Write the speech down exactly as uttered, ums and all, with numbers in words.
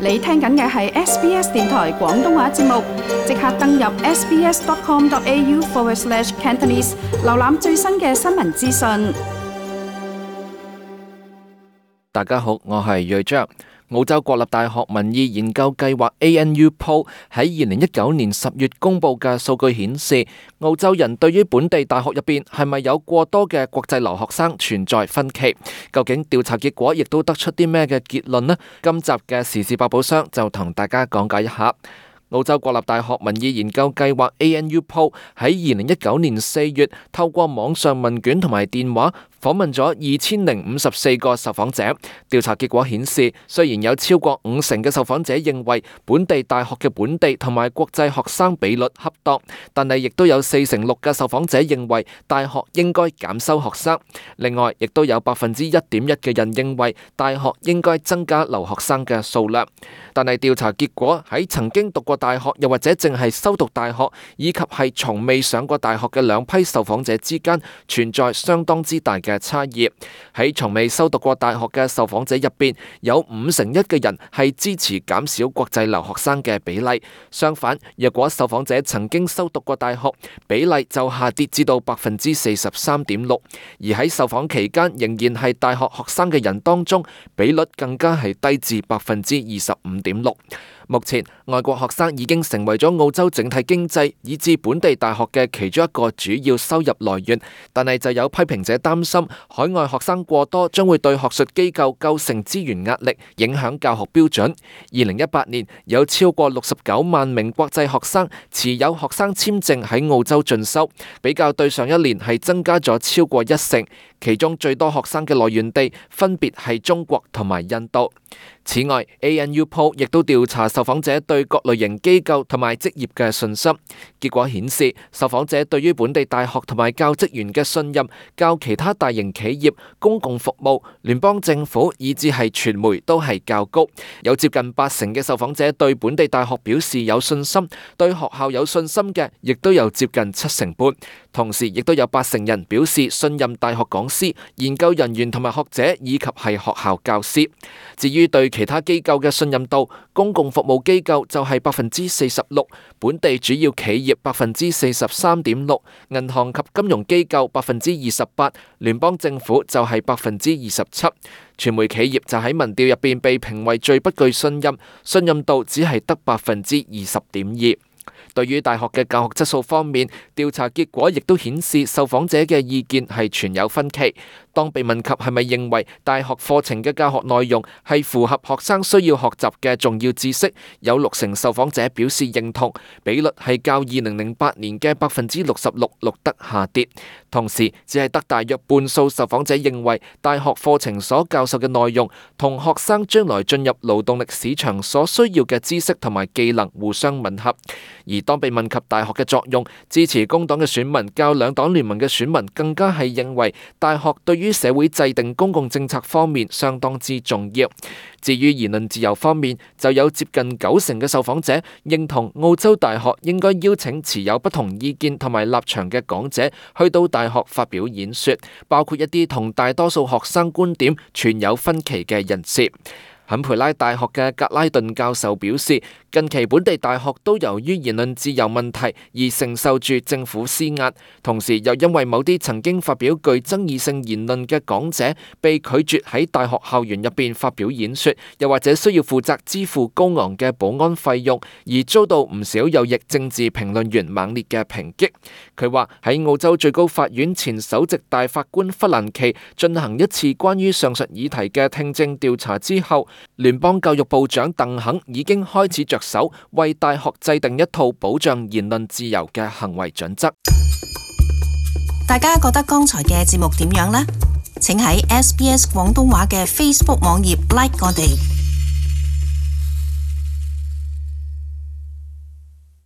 你聽緊嘅係 S B S 電台廣東話節目，即刻登入 sbs.com.au forward slash Cantonese， 瀏覽最新嘅新聞資訊。大家好，我係睿章。澳洲國立大學民意研究計劃 A N U Poll 喺二零一九年十月公佈嘅數據顯示，澳洲人對於本地大學入邊係咪有過多嘅國際留學生存在分歧。究竟調查結果亦都得出啲咩嘅結論呢？今集嘅時事百寶箱就同大家講解一下。澳洲國立大學民意研究計劃 A N U Poll 喺二零一九年四月透過網上問卷同埋電話訪問咗二千零五十四個受訪者。調查結果顯示，雖然有超過五成嘅受訪者認為本地大學嘅本地同埋國際學生比率恰當，但係亦都有四成六嘅受訪者認為大學應該減收學生。另外，亦都有百分之一點一嘅人認為大學應該增加留學生嘅數量。但係調查結果喺曾經讀過大學又或者淨係修讀大學以及係從未上過大學嘅兩批受訪者之間存在相當之大嘅差異。喺從未修讀過大學嘅受訪者入邊，有五成一嘅人係支持減少國際留學生嘅比例。相反，若果受訪者曾經修讀過大學，比例就下跌至到百分之四十三點六。而喺受訪期間仍然係大學學生嘅人當中，比率更加係低至百分之二十五點六。目前，外國學生已經成為咗澳洲整體經濟以至本地大學嘅其中一個主要收入來源，但係就有批評者擔心海外學生過多將會對學術機構構成資源壓力，影響教學標準。二零一八年有超過六十九萬名國際學生持有學生簽證喺澳洲進修，比較對上一年係增加咗超過一成，其中最多學生嘅來源地分別係中國同埋印度。此外 ，A N U Poll 亦都調查受訪者對各類型機構同埋職業嘅信心。結果顯示，受訪者對於本地大學同埋教職員嘅信任，較其他大型企業、公共服務、聯邦政府以至係傳媒都係較高。有接近八成嘅受訪者對本地大學表示有信心，對學校有信心嘅，亦都有接近七成半。同時，亦都有八成人表示信任大學講師、研究人員同埋學者以及係學校教師。至於對其他機構嘅信任度，公共服務機構就係百分之四十六，本地主要企業百分之四十三點六，銀行及金融機構百分之二十八，聯邦政府就係百分之二十七。傳媒企業就喺民調入邊被評為最不具信任，信任度只係得百分之二十點二。對於大學嘅教學質素方面，調查結果亦都顯示受訪者嘅意見係存有分歧。當被問及係咪認為大學課程嘅教學內容係符合學生需要學習嘅重要知識，有六成受訪者表示認同，比率係較二零零八年嘅百分之六十六錄得下跌。同時，只係得大約半數受訪者認為大學課程所教授嘅內容同學生將來進入勞動力市場所需要嘅知識同埋技能互相吻合。而當被問及大學嘅作用，支持工黨嘅選民較兩黨聯盟嘅選民更加係認為大學對於社會制定公共政策方面相當之重要。至於言論自由方面，就有接近九成嘅受訪者認同澳洲大學應該邀請持有不同意見同埋立場嘅講者去到大學發表演說，包括一啲同大多數學生觀點存有分歧嘅人士。坎培拉大學嘅格拉頓教授表示，近期本地大學都由於言論自由問題而承受住政府施壓，同時又因為某啲曾經發表具爭議性言論嘅講者被拒絕喺大學校園入邊發表演說，又或者需要負責支付高昂嘅保安費用，而遭到唔少右翼政治評論員猛烈嘅抨擊。佢話喺澳洲最高法院前首席大法官弗蘭奇進行一次關於上述議題嘅聽證調查之後，聯邦教育部長鄧肯已經開始着手為大學制定一套保障言論自由嘅行為準則。大家覺得剛才嘅節目點樣呢？請喺 S B S 廣東話嘅 Facebook 網頁 like 我哋。